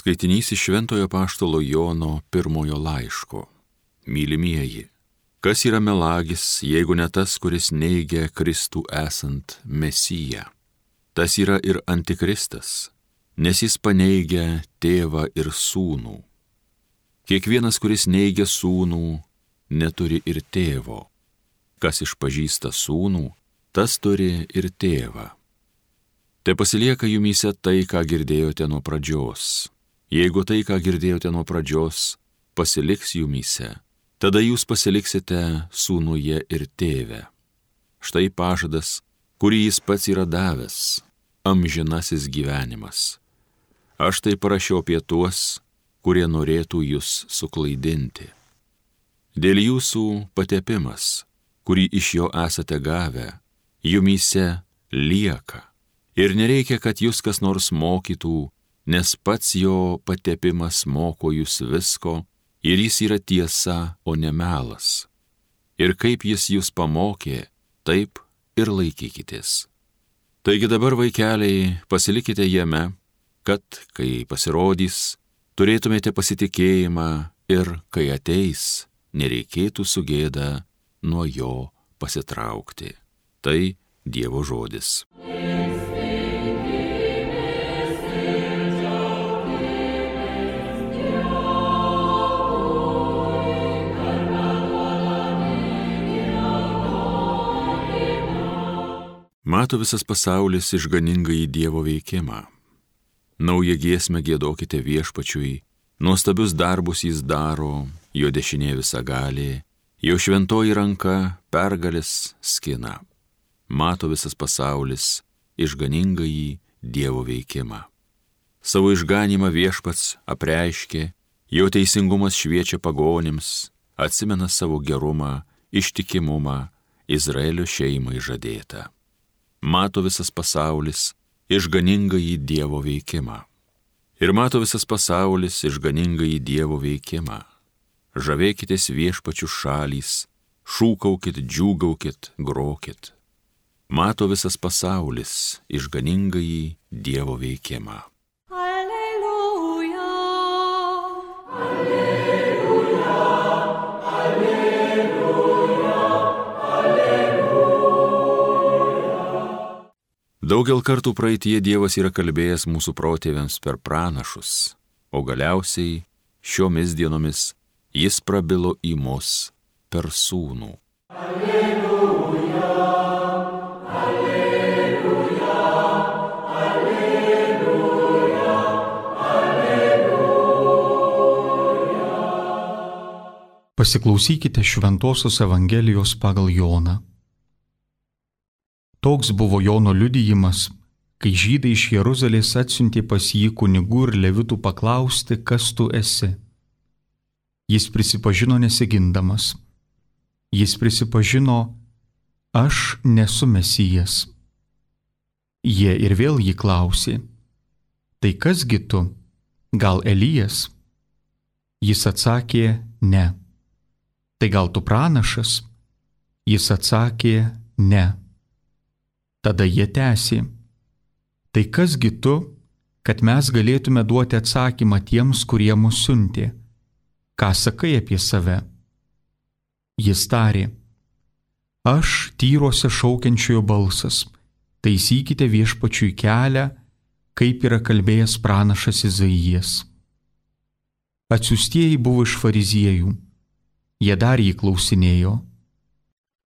Skaitinys iš Šventojo apaštalo Jono pirmojo laiško. Mylimieji, kas yra melagis, jeigu ne tas, kuris neigia Kristų esant Mesiją? Tas yra ir antikristas, nes jis paneigia tėvą ir sūnų. Kiekvienas, kuris neigia sūnų, neturi ir tėvo. Kas išpažįsta sūnų, tas turi ir tėvą. Te pasilieka jumyse tai, ką girdėjote nuo pradžios. Jeigu tai, ką girdėjote nuo pradžios, pasiliks jumyse, tada jūs pasiliksite sūnuje ir tėve. Štai pažadas, kurį jis pats yra davęs, amžinasis gyvenimas. Aš tai parašiau apie tuos, kurie norėtų jūs suklaidinti. Dėl jūsų patepimas, kurį iš jo esate gavę, jumyse lieka. Ir nereikia, kad jūs kas nors mokytų, nes pats jo patepimas moko jūs visko ir jis yra tiesa, o ne melas. Ir kaip jis jūs pamokė, taip ir laikykitės. Taigi dabar, vaikeliai, pasilikite jame, kad, kai pasirodys, turėtumėte pasitikėjimą ir, kai ateis, nereikėtų su gėda nuo jo pasitraukti. Tai Dievo žodis. Mato visas pasaulis išganingąjį Dievo veikimą. Naują giesmę giedokite Viešpačiui, nuostabius darbus jis daro, jo dešinė visagalė, jo šventoji ranka pergalės skina. Mato visas pasaulis išganingąjį Dievo veikimą. Savo išganymą Viešpats apreiškė, jo teisingumas šviečia pagonims, atsimena savo gerumą, ištikimumą Izraelio šeimai žadėtą. Mato visas pasaulis išganingąjį Dievo veikimą. Ir mato visas pasaulis išganingąjį Dievo veikimą. Žavėkitės Viešpačių šalys, šūkaukit, džiūgaukit, grokit. Mato visas pasaulis išganingąjį Dievo veikimą. Alleluja, Daugel kartų praeitie Dievas yra kalbėjęs mūsų protėviams per pranašus, o galiausiai šiomis dienomis jis prabilo į mus per sūnų. Alleluja, alleluja, alleluja, alleluja. Pasiklausykite Šventosios Evangelijos pagal Joną. Toks buvo Jono liudijimas, kai žydai iš Jeruzalės atsiuntė pas jį kunigų ir levitų paklausti, kas tu esi. Jis prisipažino nesigindamas. Jis prisipažino, aš nesu Mesijas. Jie ir vėl jį klausė, tai kasgi tu, gal Elijas? Jis atsakė, ne. Tai gal tu pranašas? Jis atsakė, ne. Tada jie tęsė, tai kasgi tu, kad mes galėtume duoti atsakymą tiems, kurie mus siuntė? Ką sakai apie save? Jis tarė, aš tyruose šaukiančiojo balsas, taisykite Viešpačiui kelią, kaip yra kalbėjęs pranašas Izaijas. Atsiųstieji buvo iš fariziejų, jie dar jį klausinėjo,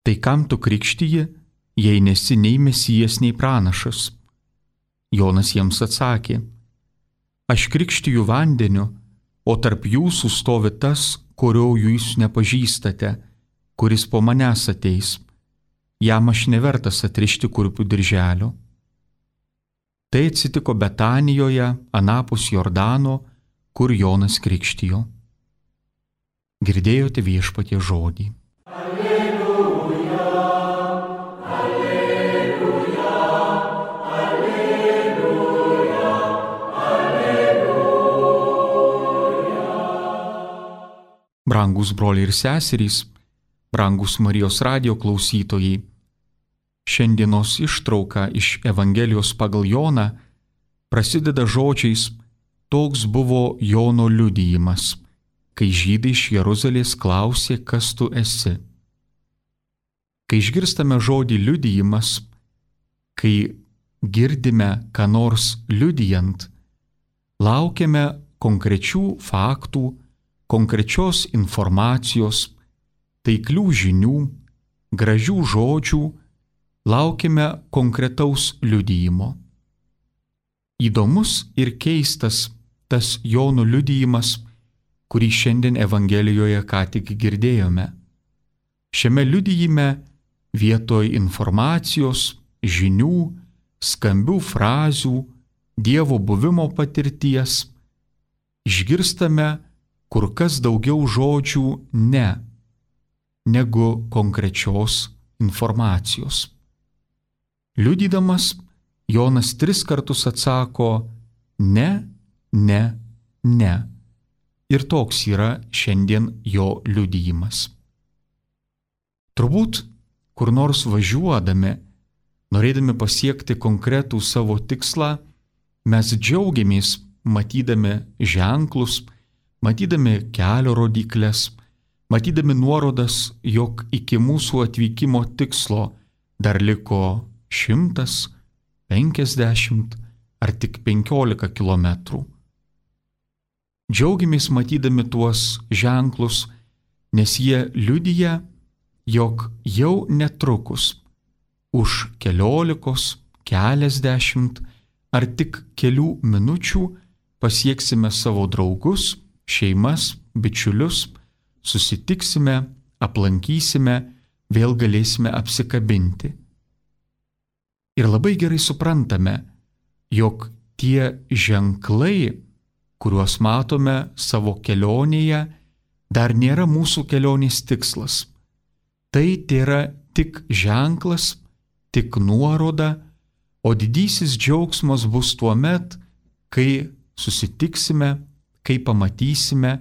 tai kam tu krikštiji, jei nesi nei Mesijas, nei pranašas? Jonas jiems atsakė, aš krikštiju vandeniu, o tarp jūsų stovi tas, kurio jūs nepažįstate, kuris po manęs ateis. Jam aš nevertas atrišti kurpių dirželio. Tai atsitiko Betanijoje, anapus Jordano, kur Jonas krikštijo. Girdėjote Viešpaties žodį. Brangus broliai ir seserys, brangus Marijos radijo klausytojai, šiandienos ištrauka iš Evangelijos pagal Joną prasideda žodžiais toks buvo Jono liudijimas, kai žydai iš Jeruzalės klausė, kas tu esi. Kai išgirstame žodį liudijimas, kai girdime ką nors liudijant, laukiame konkrečių faktų, konkrečios informacijos, taiklių žinių, gražių žodžių, laukiame konkretaus liudijimo. Įdomus ir keistas tas Jono liudijimas, kurį šiandien Evangelijoje ką tik girdėjome. Šiame liudijime vietoj informacijos, žinių, skambių frazių, Dievo buvimo patirties išgirstame kur kas daugiau žodžių ne, negu konkrečios informacijos. Liudydamas, Jonas 3 kartus atsako ne, ne, ne. Ir toks yra šiandien jo liudijimas. Turbūt, kur nors važiuodami, norėdami pasiekti konkretų savo tikslą, mes džiaugiamės matydami ženklus, matydami kelio rodyklės, matydami nuorodas, jog iki mūsų atvykimo tikslo dar liko 100, 50 ar tik 15 kilometrų. Džiaugiamės matydami tuos ženklus, nes jie liudija, jog jau netrukus už 15, keliasdešimt ar tik kelių minučių pasieksime savo draugus, šeimas, bičiulius, susitiksime, aplankysime, vėl galėsime apsikabinti. Ir labai gerai suprantame, jog tie ženklai, kuriuos matome savo kelionėje, dar nėra mūsų kelionės tikslas. Tai tėra tik ženklas, tik nuoroda, o didysis džiaugsmas bus tuomet, kai susitiksime, kai pamatysime,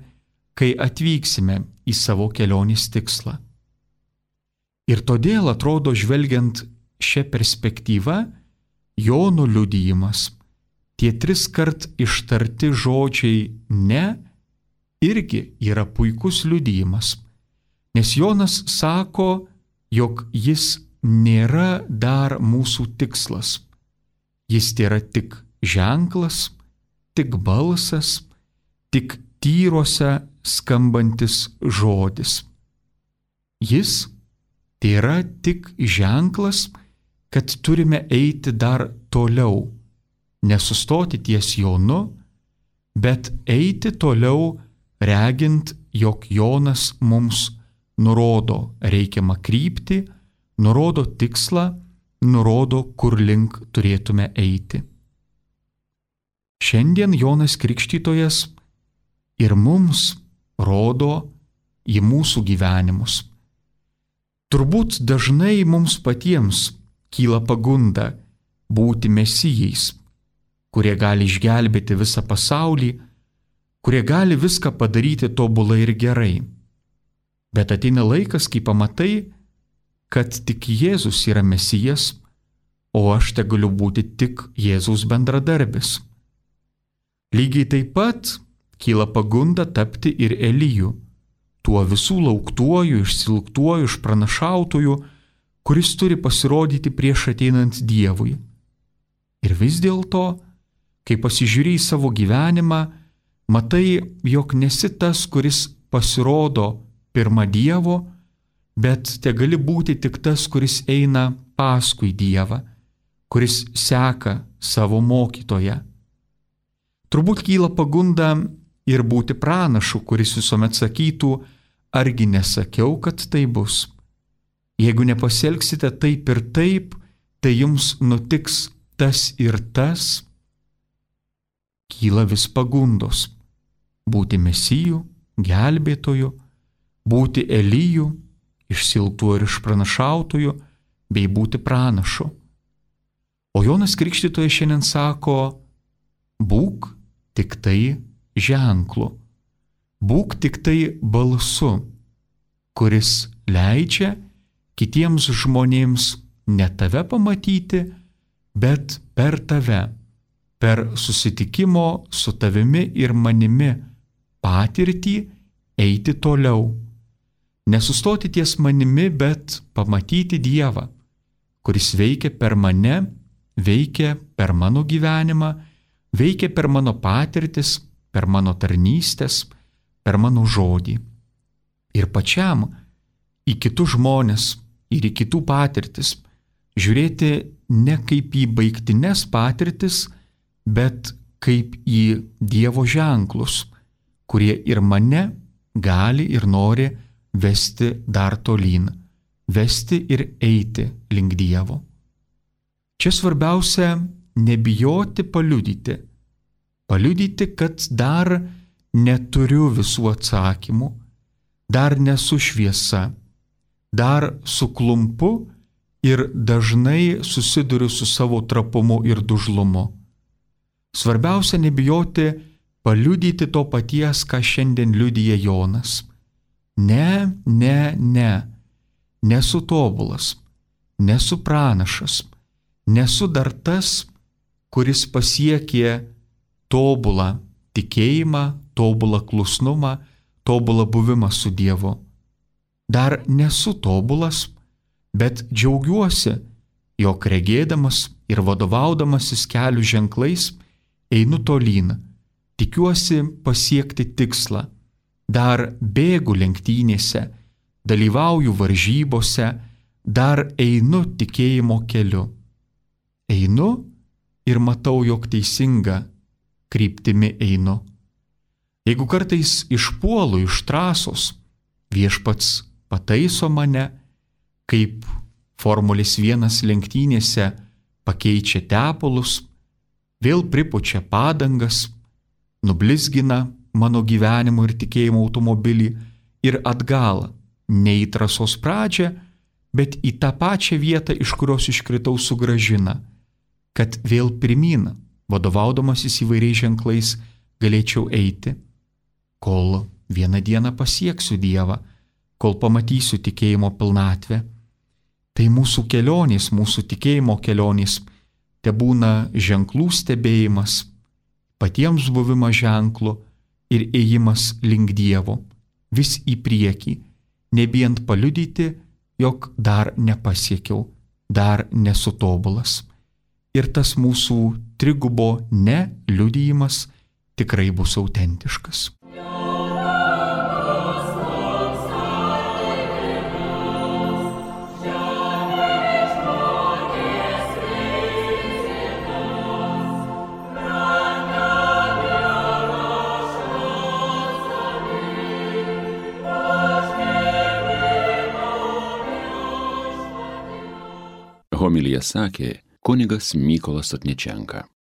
kai atvyksime į savo kelionės tikslą. Ir todėl atrodo, žvelgiant šią perspektyvą, Jono liudijimas, tie 3 kart ištarti žodžiai ne, irgi yra puikus liudijimas, nes Jonas sako, jog jis nėra dar mūsų tikslas. Jis tėra tik ženklas, tik balsas, tik tyruose skambantis žodis. Jis tėra tik ženklas, kad turime eiti dar toliau, nesustoti ties Jonu, bet eiti toliau, regint, jog Jonas mums nurodo reikiamą kryptį, nurodo tikslą, nurodo, kur link turėtume eiti. Šiandien Jonas Krikštytojas ir mums rodo į mūsų gyvenimus. Turbūt dažnai mums patiems kyla pagunda būti mesijais, kurie gali išgelbėti visą pasaulį, kurie gali viską padaryti tobulai ir gerai. Bet ateina laikas, kai pamatai, kad tik Jėzus yra mesijas, o aš tegaliu būti tik Jėzaus bendradarbis. Lygiai taip pat kyla pagunda tapti ir Eliju, tuo visų lauktuoju, išsilgtuoju, išpranašautoju, kuris turi pasirodyti prieš ateinant Dievui. Ir vis dėlto, kai pasižiūrėjai savo gyvenimą, matai, jog nesi tas, kuris pasirodo pirma Dievo, bet te gali būti tik tas, kuris eina paskui Dievą, kuris seka savo mokytoją. Turbūt kyla pagunda ir būti pranašu, kuris visuomet sakytų, argi nesakiau, kad tai bus. Jeigu nepasielgsite taip ir taip, tai jums nutiks tas ir tas. Kyla vis pagundos būti mesiju, gelbėtoju, būti Eliju, išsilgtuoju ir išpranašautoju, bei būti pranašu. O Jonas Krikštytojas šiandien sako, būk tik tai ženklu, būk tik tai balsu, kuris leidžia kitiems žmonėms ne tave pamatyti, bet per tave per susitikimo su tavimi ir manimi patirtį eiti toliau. Nesustoti ties manimi, bet pamatyti Dievą, kuris veikia per mane, veikia per mano gyvenimą, veikia per mano patirtis, per mano tarnystės, per mano žodį. Ir pačiam į kitus žmonės ir į kitų patirtis žiūrėti ne kaip į baigtines patirtis, bet kaip į Dievo ženklus, kurie ir mane gali ir nori vesti dar tolyn, vesti ir eiti link Dievo. Čia svarbiausia nebijoti paliudyti. Paliudyti, kad dar neturiu visų atsakymų, dar nesu šviesa, dar suklumpu ir dažnai susiduriu su savo trapumu ir dužlumu. Svarbiausia nebijoti paliudyti to paties, ką šiandien liudija Jonas. Nesu tobulas, nesu pranašas, nesu dar tas, kuris pasiekė tobulą tikėjimą, tobulą klusnumą, tobulą buvimą su Dievu. Dar nesu tobulas, bet džiaugiuosi, jog regėdamas ir vadovaudamasis kelių ženklais einu tolyn, tikiuosi pasiekti tikslą, dar bėgu lenktynėse, dalyvauju varžybose, dar einu tikėjimo keliu. Einu ir matau, jog teisinga kryptimi einu. Jeigu kartais išpuolu iš trasos, Viešpats pataiso mane, kaip Formulės 1 lenktynėse pakeičia tepalus, vėl pripučia padangas, nublizgina mano gyvenimo ir tikėjimo automobilį ir atgal, ne į trasos pradžią, bet į tą pačią vietą, iš kurios iškritau, sugrąžina, kad vėl pirmyn, vadovaudamasis įvairiais ženklais, galėčiau eiti, kol vieną dieną pasieksiu Dievą, kol pamatysiu tikėjimo pilnatvę. Tai mūsų kelionės, mūsų tikėjimo kelionės, te būna ženklų stebėjimas, patiems buvimas ženklu ir ėjimas link Dievo, vis į priekį, nebijant paliudyti, jog dar nepasiekiau, dar nesu tobulas. Ir tas mūsų trigubo ne liudijimas tikrai bus autentiškas. Homiliją sakė kunigas Mykolas Sotničenka.